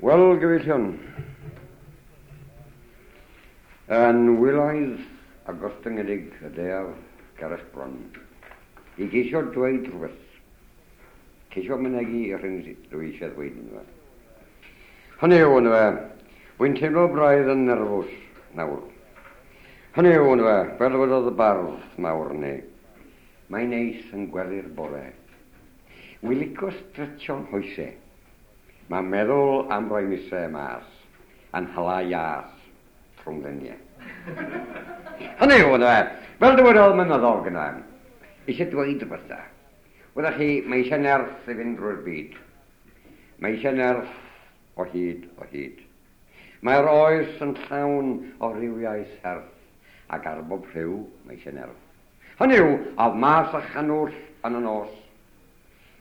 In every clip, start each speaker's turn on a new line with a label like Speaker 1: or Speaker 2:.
Speaker 1: Wel, gyfeillion, yn wylaidd a gostyngedig y daear ger eich bron, i geisio dweud rhywbeth, ceisio mynegi yr hyn dwi eisiau ddweud yndyfe. Hynny yw, yndyfe, wy'n teimlo braidd yn nerfus nawr. Hynny yw, yndyfe, fel dywedodd y bardd mawr ni, mae'n neis yn gwely'r bore. Wi lico stretsio'n hoese. Mae meddwl am roi mise mas yn hala ias rhwng lenie. Hynny yw, yndyfe, fel dywedodd Mynyddog, yndyfe, eisiau dweud rhywbeth da. Wyddoch chi, mae eisiau nerth i fynd drwy'r byd. Mae eisiau nerth o hyd o hyd. Mae'r oes yn llawn o rywiau serth, ac ar bob rhyw mae eisiau nerth. Hynny yw, af mas a channwll yn y nos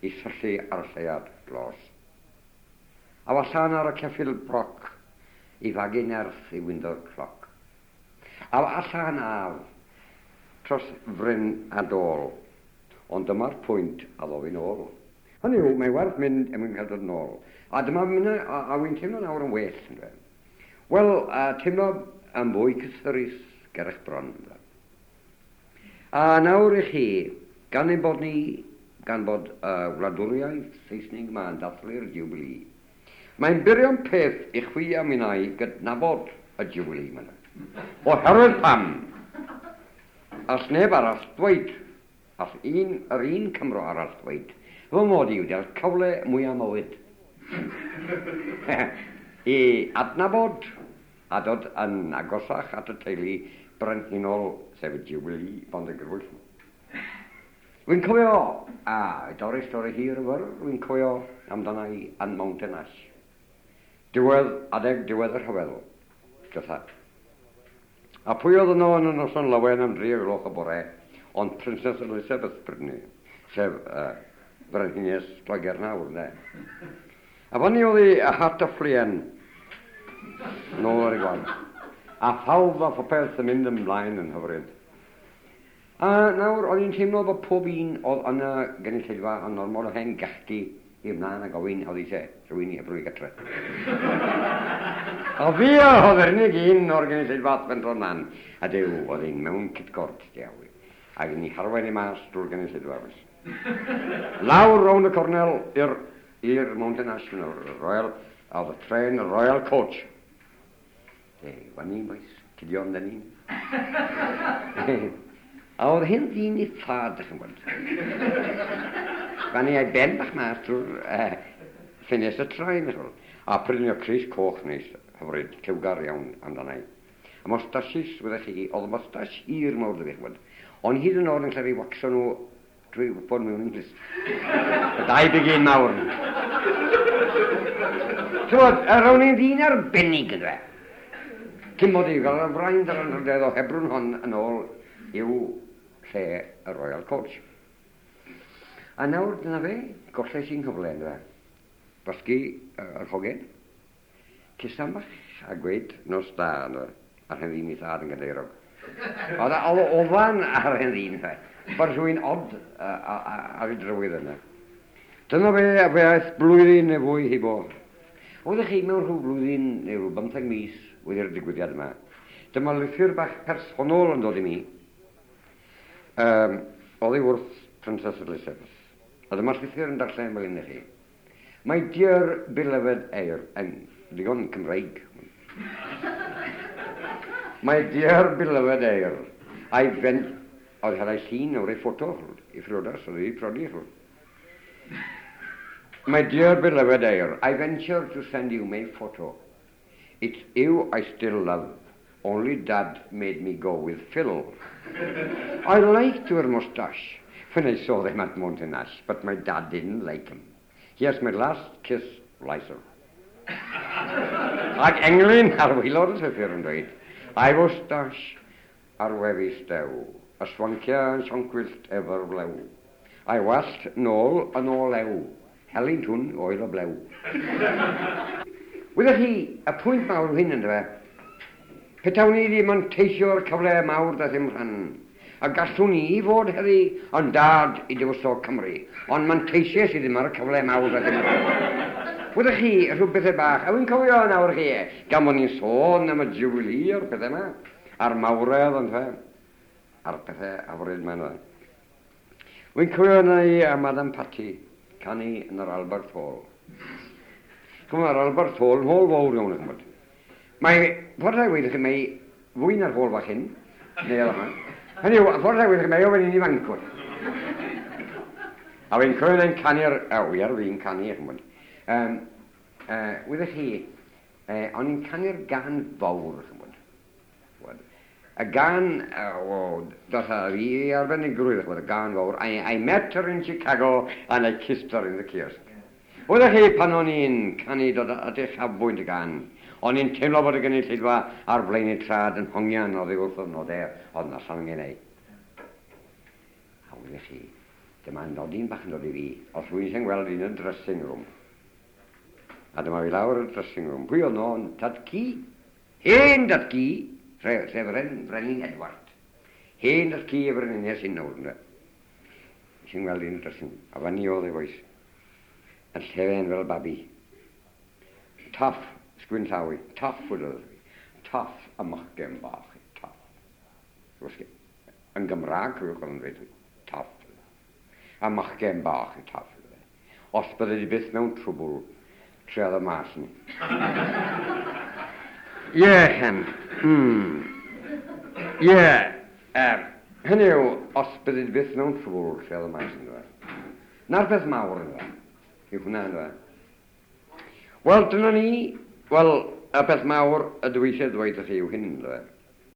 Speaker 1: i syllu ar y lleuad glos. Af allan ar y ceffyl broc i fagu nerth i windo'r cloc. Af allan af tros fryn a dôl, ond dyma'r pwynt a ddof i'n ôl. Hynny yw, mae werth mynd er mwyn cael dod yn ôl. A dyma minnau, a, a wy'n teimlo nawr yn well, yndyfe. Wel, a teimlo yn fwy cysurus ger eich bron, yndyfe. A nawr i chi, gan ein bod ni, gan bod y wladwriaeth Seisnig yma yn dathlu'r Jiwbilî, mae'n burion peth i chwi a minnau gydnabod y Jiwbilî yma. Oherwydd pam? All neb arall ddweud, all un, yr un Cymro arall ddweud, fy mod i wedi cael cyfle mwyaf mywyd i adnabod a dod yn agosach at y teulu brenhinol, sef y Jiwbilî Bondegrwyll. Wy'n cofio, a i dorri stori hir yn fyr, wy'n cofio amdana i yn Mountain Ash. Diwedd, adeg diwedd y rhyfel, diwetha. A pwy oedd yno yn y noson lawen am dri o gloch y bore, ond Princess Elizabeth bryd 'ny, sef uh, Frenhines Lloegr nawr, ynde. A fyny oedd ei hat a fflien nôl ar ei gwaed. A phawb a phopeth yn mynd ymlaen yn hyfryd. A nawr, o'n i'n teimlo bod pob un oedd yn y gynulleidfa yn ormod o hen gachgi i ymlaen a gofyn oedd eisiau rhywun i hebrwng i gatre. A fi oedd yr unig un o'r gynulleidfa ath fentro mlaen. A Duw, oedd hi'n mewn cytgord, diawl. Ac yn ei harwain i mas drwy'r gynulleidfa. Lawr rownd y cornel i'r i'r Mountain Ash, Royal, oedd y tren, y Royal Coach. E, fan ni'n boys, cydio amdani. A oedd hyn ddyn i thad, ydych chi'n gweld. Fan ni a'i ben bach mas drwy'r ffenest y traen, chi'n gweld. A prynu o crys coch neis, hyfryd, lliwgar iawn amdana i. A mostashis, wyddech chi, oedd mostash hir mawr 'da fi, chi'n gweld. Ond hyd yn oed yn lle fi waxo nhw Drwy wybod mewn English. Y dau bigyn mawr. Tywod, yr o'n i'n ddyn arbennig yndyfe. Cyn mod i gael y fraint a'r anrhydedd o hebrwng hon yn ôl i'w lle y Royal Coach. A nawr dyna fe, golles i'n nghyfle yndyfe. Gwasgu yr hogen, cusan bach a gweud nos da yndyfe. A'r hen ddyn ei thad yn gadeirog. Oedd oedd ofan ar hen ddyn, fe. Bod rhywun od ar ei drywydd yna. Dyna fe, a fe aeth blwyddyn neu fwy hibo. Oeddech chi mewn rhyw flwyddyn neu rhyw bymtheg mis wedi'r digwyddiad yma. Dyma lythyr bach personol yn dod i mi. Um, oddi wrth Princess Elizabeth. A dyma'r llythyr yn darllen fel hyn i chi. My dear beloved heir, yn ddigon Cymraeg. My dear beloved heir, I went... Oedd had ei llun o'r ei ffoto i phriodas, oedd ei prodi. My dear beloved heir, I venture to send you my photo. It's you I still love. Only Dad made me go with Phil. I liked your moustache when I saw them at Mountain Ash, but my dad didn't like him. Here's my last kiss, Liza. Ac englyn ar waelod y llythyr yn dweud, A'i fwstash ar wefus dew, y swancia yn sioncwyllt efo'r flew. A'i wallt nôl yn olew, helynt hwn oedd y blew. Wyddoch chi, y pwynt mawr yw hyn, yndyfe? Petawn i 'di manteisio ar y cyfle mawr daeth i'm rhan, a gallwn i fod heddi yn dad i Dywysog Cymru, ond manteisiais i ddim ar y cyfle mawr daeth i'm rhan. Wydych chi, rhyw bethau bach, a wy'n cofio nawr chi, gan bod ni'n sôn am y Jubilee a'r pethau yma, a'r mawredd, ond fe, a'r pethau hyfryd yma, ynddo. Wy'n cofio yna i a Madam Patty canu yn yr Albert Hall. Chymod, mae'r Albert Hall yn hall fawr iawn, chymod. Mae, ffordd rhaid weithio chi, mae fwy na'r hall fach hyn, neu yma. Hynny yw, ffordd rhaid weithio chi, mae o fan hyn i fancwr. A fi'n cofio yna'n canu'r, o, wi ar fi'n canu, chymod. Wyddech chi, o'n i'n canu'r gan fawr, chymod. Y gan, o, dos a fi arbenigrwydd, chymod, y gan fawr, I met her in Chicago and I kissed her in the kiosk. Wyddech chi, pan o'n i'n canu dod at eich chafbwynt y gan, o'n i'n teimlo bod y gynulleidfa ar flaen eu trad yn hongian oddi wrth y nodau oedd yn allan yn ei. A wyddech chi, dyma nodyn bach yn dod i fi, os rwy'n sy'n gweld un yn dressing room. A dyma fi lawr y dressing room. Pwy oedd no? Tad ci. Hen dad ci, sef Brenin Edward. Hen dad ci y brenhines hyn nawr, ynddo. Sy'n gweld un dressing room. A fan ni oedd e, boys. Yn llefen fel babi. Toff, sgwyn llaw i. Toff, wedodd fi. Toff y machgen bach. Toff. Yn Gymraeg, cofiwch oedd yn dweud. Toff. A machgen bach, toff. Os bydde di byth mewn trwbl, treodd y mas ni. Ie, hen. Ie. Hynny yw, os bydde di byth mewn trwbl, treodd y mas ni. Na'r peth mawr ynddo. Yw hwnna ynddo. Wel, dyna ni. Wel, y peth mawr y dwi eisiau dweud i chi yw hyn ynddo.